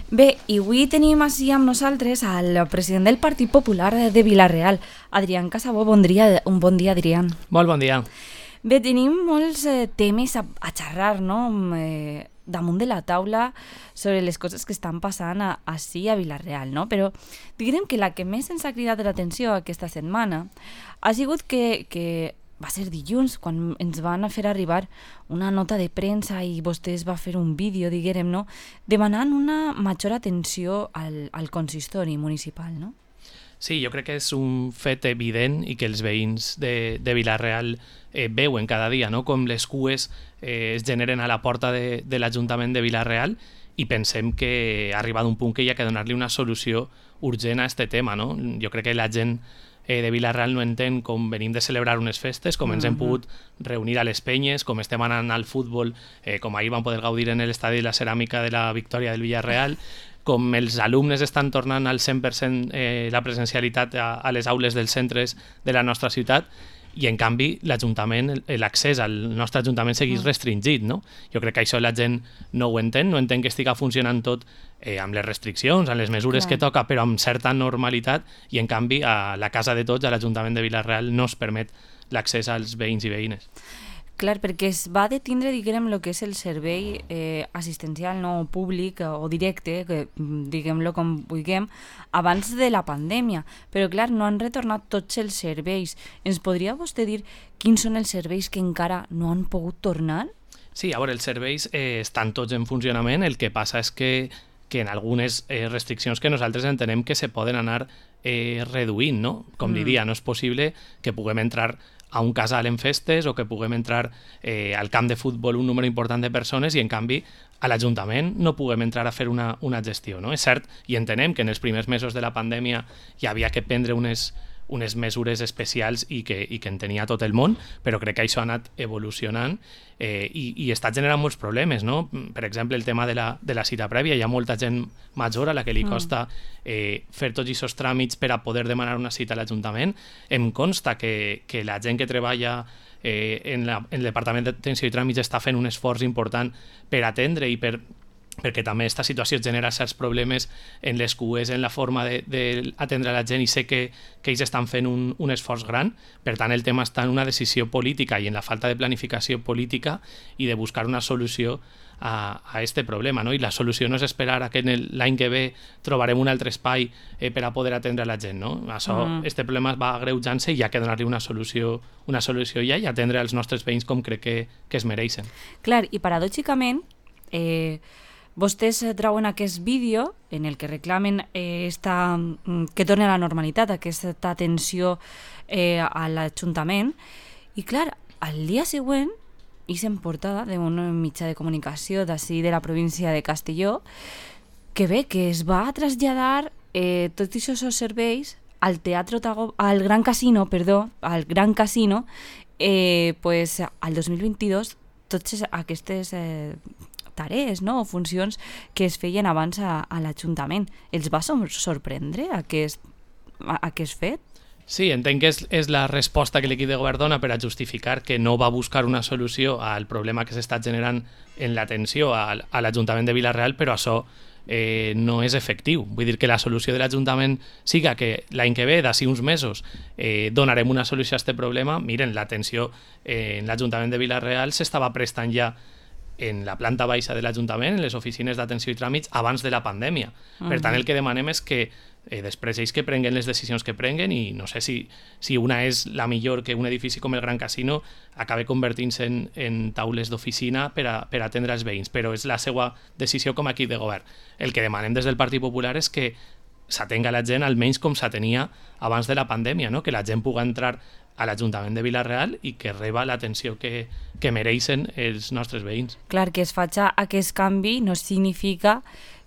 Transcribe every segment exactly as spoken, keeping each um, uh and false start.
Bé, i avui tenim així amb nosaltres al president del Partit Popular de Vila-real, Adrián Casabó. Bon dia, un bon dia, Adrián. Molt bon dia. Bé, tenim molts eh, temes a, a xerrar, no?, eh, damunt de la taula sobre les coses que estan passant a, així a Vila-real, no? Però diguem que la que més ens ha cridat l'atenció aquesta setmana ha sigut que, que va ser dilluns, quan ens van a fer arribar una nota de premsa i vostès va fer un vídeo, diguem, no?, demanant una major atenció al, al consistori municipal, no? Sí, jo crec que és un fet evident i que els veïns de, de Vila-real eh, veuen cada dia, no?, com les cues eh, es generen a la porta de, de l'Ajuntament de Vila-real, i pensem que ha arribat un punt que hi ha que donar-li una solució urgent a aquest tema, no? Jo crec que la gent eh, de Vila-real no entén com venim de celebrar unes festes, com ens hem pogut reunir a les penyes, com estem anant al futbol, eh, com ahir vam poder gaudir en l'estadi de la ceràmica de la victòria del Villarreal, com els alumnes estan tornant al cent per cent eh, la presencialitat a, a les aules dels centres de la nostra ciutat, i en canvi l'Ajuntament, l'accés al nostre Ajuntament segueix restringit, no? Jo crec que això la gent no ho entén, no entén que estiga funcionant tot eh, amb les restriccions, amb les mesures Clar. que toca, però amb certa normalitat, i en canvi a la casa de tots, a l'Ajuntament de Vila-real, no es permet l'accés als veïns i veïnes. Clar, perquè es va detindre, diguem, el que és el servei eh, assistencial no públic o directe, que diguem-lo com vulguem, abans de la pandèmia. Però, clar, no han retornat tots els serveis. Ens podria vostè dir quins són els serveis que encara no han pogut tornar? Sí, a veure, els serveis eh, estan tots en funcionament. El que passa és que, que en algunes eh, restriccions que nosaltres entenem que se poden anar eh, reduint, no? Com mm. li dia, no és possible que puguem entrar a un casal en festes o que puguem entrar eh, al camp de futbol un número important de persones i en canvi a l'Ajuntament no puguem entrar a fer una, una gestió, no? És cert, i entenem que en els primers mesos de la pandèmia hi havia que prendre unes, unes mesures especials i que, i que en tenia tot el món, però crec que això ha anat evolucionant eh, i, i està generant molts problemes, no? Per exemple, el tema de la, de la cita prèvia. Hi ha molta gent major a la que li costa eh, fer tots aquests tràmits per a poder demanar una cita a l'Ajuntament. Em consta que, que la gent que treballa eh, en, la, en el Departament d'Atenció i Tràmits està fent un esforç important per atendre i per perquè també aquesta situació genera certs problemes en les cues, en la forma d'atendre la gent, i sé que, que ells estan fent un, un esforç gran. Per tant, el tema està en una decisió política i en la falta de planificació política i de buscar una solució a, a este problema, no? I la solució no és esperar a que l'any que ve trobarem un altre espai eh, per a poder atendre la gent, no? Això, mm. este problema va agreujant-se i hi ha que donar-li una solució, una solució ja i atendre els nostres veïns com crec que, que es mereixen. Clar, i paradòxicament, eh, vostès trauen aquest vídeo en el que reclamen eh, esta, que torni a la normalitat, aquesta atenció eh, a l'Ajuntament, i clar, al dia següent, és en portada d'un mitjà de comunicació d'ací de la província de Castelló, que bé, que es va traslladar eh, tots aquests serveis al teatre Tago, al Gran Casino, perdó, al Gran Casino, eh, pues al dos mil vint-i-dos, totes aquestes eh, tarees, no?, o funcions que es feien abans a, a l'Ajuntament. Els va sorprendre aquest, aquest fet? Sí, entenc que és, és la resposta que l'equip de govern dona per a justificar que no va buscar una solució al problema que s'està generant en l'atenció a, a l'Ajuntament de Vila-real, però això eh, no és efectiu. Vull dir que la solució de l'Ajuntament siga que l'any que ve, d'ací uns mesos, eh, donarem una solució a aquest problema. Miren, l'atenció eh, en l'Ajuntament de Vila-real s'estava prestant ja en la planta baixa de l'Ajuntament, en les oficines d'atenció i tràmits, abans de la pandèmia. Uh-huh. Per tant, el que demanem és que eh, després ells que prenguen les decisions que prenguen, i no sé si, si una és la millor, que un edifici com el Gran Casino acabe convertint-se en, en taules d'oficina per a, per a atendre els veïns, però és la seva decisió com a equip de govern. El que demanem des del Partit Popular és que s'atenga la gent almenys com s'atenia abans de la pandèmia, no? Que la gent pugui entrar a l'Ajuntament de Vila-real i que reba l'atenció que, que mereixen els nostres veïns. Clar, que es faci aquest canvi no significa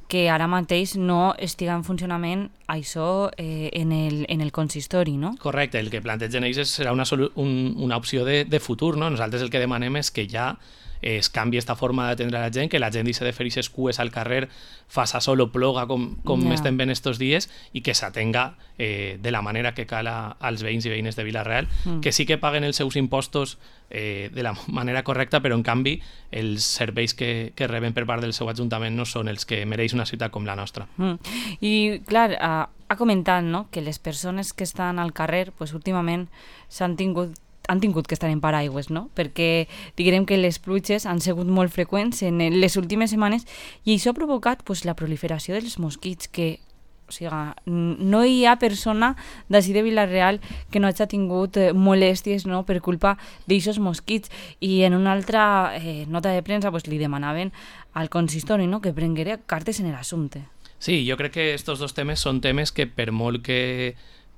que ara mateix no estiga en funcionament això eh, en, el, en el consistori, no? Correcte, el que plantegen ells serà una, un, una opció de, de futur, no? Nosaltres el que demanem és que ja es canvi aquesta forma d'atendre la gent, que la gent deixi de fer aquestes cues al carrer, faça sol o ploga com, com yeah. estem ben estos dies, i que s'atenga eh, de la manera que cal a, als veïns i veïnes de Vila-real, mm. que sí que paguen els seus impostos eh, de la manera correcta, però en canvi els serveis que, que reben per part del seu ajuntament no són els que mereix una ciutat com la nostra. Mm. I clar, ha, ha comentat, no?, que les persones que estan al carrer pues, últimament s'han tingut han tingut que estar en paraigües, no? Perquè diguem que les pluges han sigut molt freqüents en les últimes setmanes i això ha provocat pues, la proliferació dels mosquits, que o sigui, no hi ha persona d'ací de Vila-real que no hagi tingut molèsties, no?, per culpa d'aixòs mosquits. I en una altra eh, nota de premsa pues, li demanaven al consistori, no?, que prenguera cartes en l'assumpte. Sí, jo crec que estos dos temes són temes que per molt que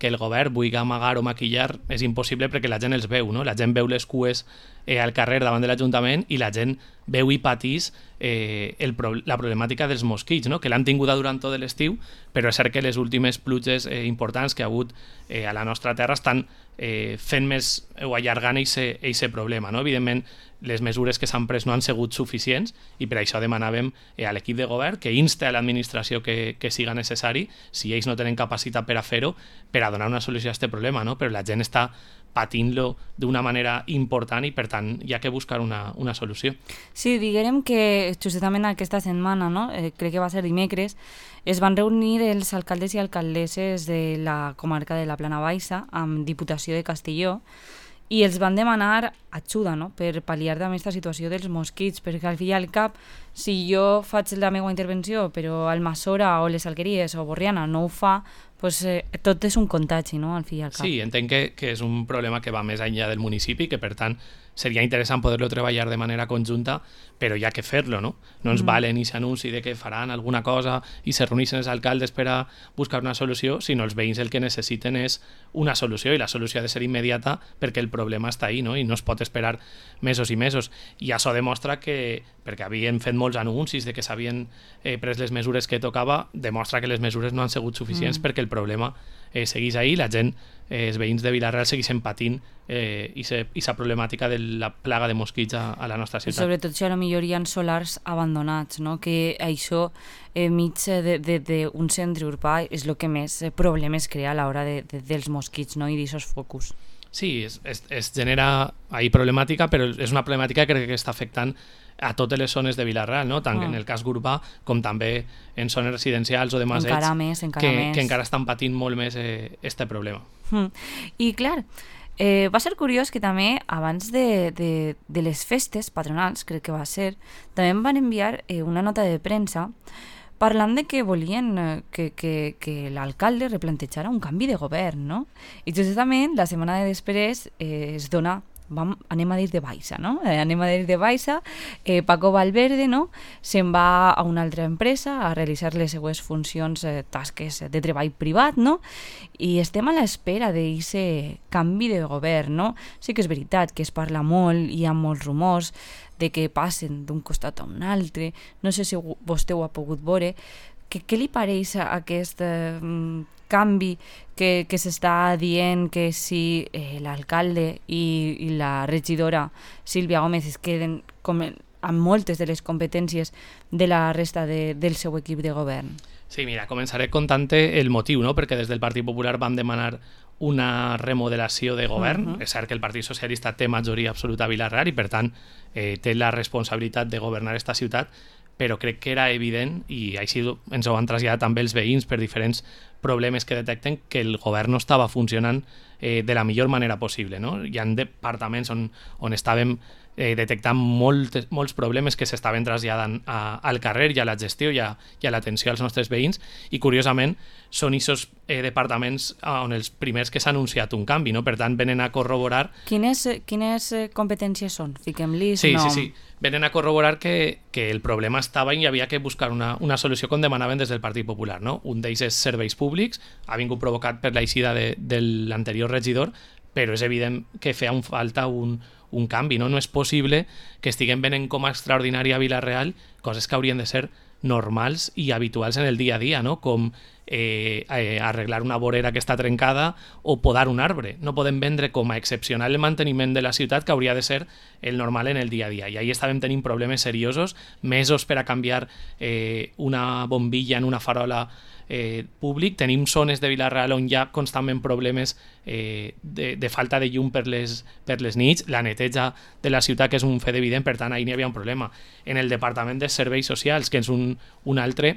que el govern vulgui amagar o maquillar és impossible perquè la gent els veu, no? La gent veu les cues eh, al carrer davant de l'Ajuntament i la gent veu i patís eh, el pro la problemàtica dels mosquits, no? Que l'han tinguda durant tot l'estiu, però és cert que les últimes pluges eh, importants que ha hagut eh, a la nostra terra estan eh, fent més o allargant aquest problema, no? Evidentment, les mesures que s'han pres no han sigut suficients i per això demanàvem eh, a l'equip de govern que inste a l'administració que, que siga necessari, si ells no tenen capacitat per a fer-ho, per a donar una solució a aquest problema, no? Però la gent està patint-lo d'una manera important i per tant hi ha que buscar una, una solució. Sí, diguem que justament aquesta setmana, no? eh, crec que va ser dimecres, es van reunir els alcaldes i alcaldesses de la comarca de la Plana Baixa amb Diputació de Castelló i els van demanar ajuda, no?, per pal·liar també aquesta situació dels mosquits, perquè al fi i al cap, si jo faig la meva intervenció però Almassora o les Alqueries o Borriana no ho fa, pues, eh, tot és un contagi, no?, al fi i al cap. Sí, entenc que, que és un problema que va més enllà del municipi, que per tant seria interessant poder-lo treballar de manera conjunta, però hi ha que fer-lo, no? No ens mm. valen i s'anunci de que faran alguna cosa i se reuneixen els alcaldes per a buscar una solució, sinó els veïns el que necessiten és una solució i la solució ha de ser immediata perquè el problema està ahí, no? I no es pot esperar mesos i mesos. I això demostra que, perquè havien fet molts anuncis de que s'havien eh, pres les mesures que tocava, demostra que les mesures no han sigut suficients mm. perquè el problema eh, seguís ahí, la gent, eh, els veïns de Vila-real segueixen patint eh, aquesta problemàtica de la plaga de mosquits a, a la nostra ciutat. I sobretot si a la millor hi ha solars abandonats, no? Que això eh, mig d'un centre urbà és el que més problemes crea a l'hora de, de, dels mosquits, no? I d'aquests focus. Sí, es, es, es genera ahí problemàtica, però és una problemàtica que crec que està afectant a totes les zones de Vila-real, no? Tant ah. en el cas urbà com també en zones residencials o de masets, encara més, encara que, més. que encara estan patint molt més eh, este problema. Mm. I clar, eh, va ser curiós que també abans de, de, de les festes patronals, crec que va ser, també em van enviar eh, una nota de premsa parlant de que volien que, que, que l'alcalde replantejara un canvi de govern, no? I justament la setmana de després eh, es dona, vam, anem a dir de baixa, no? Eh, anem a dir de baixa, eh, Paco Valverde, no?, se'n va a una altra empresa a realitzar les seues funcions, eh, tasques de treball privat, no? I estem a l'espera d'aquest canvi de govern, no? Sí que és veritat que es parla molt, hi ha molts rumors de que passen d'un costat a un altre, no sé si vostè ho ha pogut veure. Que, què li pareix aquest eh, canvi que, que s'està dient que si eh, l'alcalde i, i la regidora Sílvia Gómez es queden com, amb moltes de les competències de la resta de, del seu equip de govern? Sí, mira, començaré contant-te el motiu, no? Perquè des del Partit Popular van demanar una remodelació de govern. Uh -huh. És cert que el Partit Socialista té majoria absoluta a Vila-real i per tant eh, té la responsabilitat de governar esta ciutat, però crec que era evident, i així ens ho han traslladat també els veïns per diferents problemes que detecten, que el govern no estava funcionant eh, de la millor manera possible, no? Hi ha departaments on, on estàvem eh, detectant moltes, molts problemes que s'estaven traslladant a, al carrer i a la gestió i a, i a l'atenció als nostres veïns, i curiosament són aquests eh, departaments on els primers que s'ha anunciat un canvi, no? Per tant venen a corroborar... Quines, quines competències són? Fiquem-li sí, nom. Sí, sí, venen a corroborar que, que el problema estava i hi havia que buscar una, una solució com demanaven des del Partit Popular, no? Un d'ells és serveis públics, ha vingut provocat per l'eixida de, de l'anterior regidor, però és evident que feia un, falta un, un canvi, no? No és possible que estiguem venent com a extraordinària a Vila-real coses que haurien de ser normals i habituals en el dia a dia, no? Com eh, eh, arreglar una vorera que està trencada o podar un arbre. No podem vendre com a excepcional el manteniment de la ciutat, que hauria de ser el normal en el dia a dia. I ahí estàvem tenint problemes seriosos, mesos per a canviar eh, una bombilla en una farola eh, públic. Tenim zones de Vila-real on hi ha constantment problemes eh, de, de falta de llum per les, per les nits, la neteja de la ciutat, que és un fet evident, per tant, ahí n'hi havia un problema. En el Departament de Serveis Socials, que és un, un altre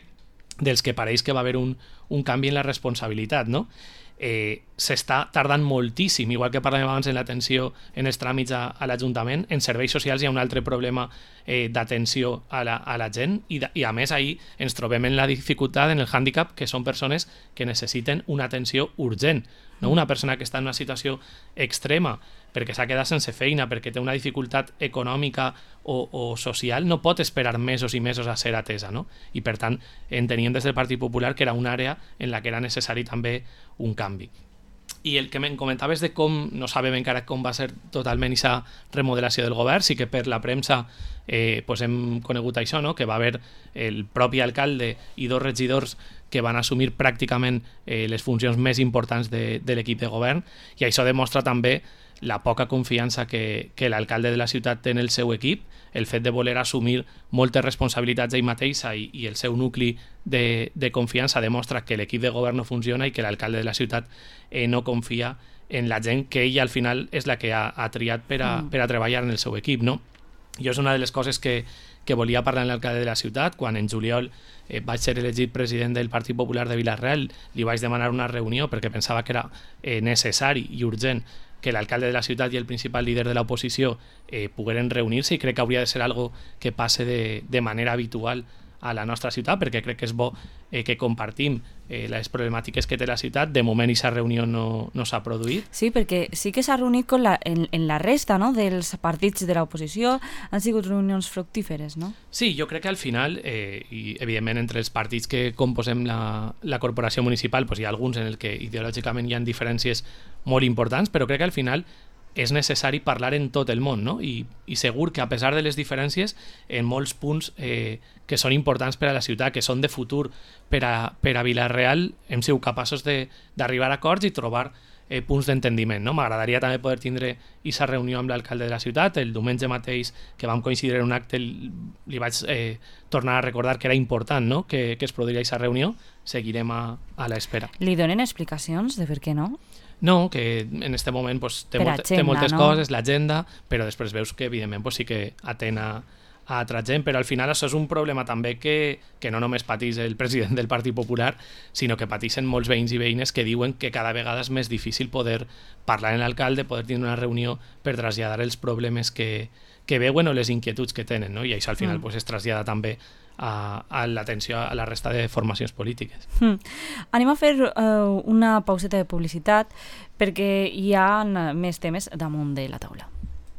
dels que pareix que va haver un, un canvi en la responsabilitat, no? Eh, s'està tardant moltíssim, igual que parlàvem abans en l'atenció en els tràmits a, a l'Ajuntament. En serveis socials hi ha un altre problema eh, d'atenció a la, a la gent i, de, i a més ahir ens trobem en la dificultat, en el hàndicap, que són persones que necessiten una atenció urgent, no? Una persona que està en una situació extrema perquè s'ha quedat sense feina, perquè té una dificultat econòmica o, o social, no pot esperar mesos i mesos a ser atesa, no? I per tant enteníem des del Partit Popular que era una àrea en la que era necessari també un canvi. I el que me'n comentaves de com, no sabem encara com va ser totalment aquesta remodelació del govern, sí que per la premsa eh, pues hem conegut això, no? Que va haver el propi alcalde i dos regidors que van assumir pràcticament eh, les funcions més importants de, de l'equip de govern, i això demostra també la poca confiança que, que l'alcalde de la ciutat té en el seu equip, el fet de voler assumir moltes responsabilitats ell mateixa i, i el seu nucli de, de confiança demostra que l'equip de govern no funciona i que l'alcalde de la ciutat eh, no confia en la gent que ell al final és la que ha, ha triat per a, mm. per a treballar en el seu equip, no? Jo és una de les coses que, que volia parlar amb l'alcalde de la ciutat. Quan en juliol eh, vaig ser elegit president del Partit Popular de Vila-real, li vaig demanar una reunió perquè pensava que era eh, necessari i urgent que l'alcalde de la ciutat i el principal líder de l'oposició eh, pogueren reunir-se, i crec que hauria de ser algo que passe de, de manera habitual a la nostra ciutat, perquè crec que és bo eh, que compartim eh, les problemàtiques que té la ciutat. De moment aquesta reunió no, no s'ha produït. Sí, perquè sí que s'ha reunit con la, en, en la resta, no?, dels partits de l'oposició. Han sigut reunions fructíferes, no? Sí, jo crec que al final, eh, i evidentment entre els partits que composem la, la corporació municipal, pues hi ha alguns en el que ideològicament hi ha diferències molt importants, però crec que al final és necessari parlar en tot el món, no? I, i segur que a pesar de les diferències, en molts punts eh, que són importants per a la ciutat, que són de futur per a, per a Vila-real, hem sigut capaços d'arribar a acords i trobar eh, punts d'entendiment, no? M'agradaria també poder tindre aquesta reunió amb l'alcalde de la ciutat. El diumenge mateix, que vam coincidir en un acte, li vaig eh, tornar a recordar que era important, no?, que, que es produiria aquesta reunió. Seguirem a, a l'espera. Li donen explicacions de per què no? No, que en aquest moment pues, té, molt, agenda, té moltes no? coses, l'agenda, però després veus que evidentment pues, sí que atén a, a altra gent, però al final això és un problema també que, que no només patís el president del Partit Popular, sinó que pateixen molts veïns i veïnes que diuen que cada vegada és més difícil poder parlar amb l'alcalde, poder tenir una reunió per traslladar els problemes que, que veuen o les inquietuds que tenen, no? I això al final mm. pues, es trasllada també a, a l'atenció a la resta de formacions polítiques. Mm. Anem a fer uh, una pauseta de publicitat perquè hi ha més temes damunt de la taula.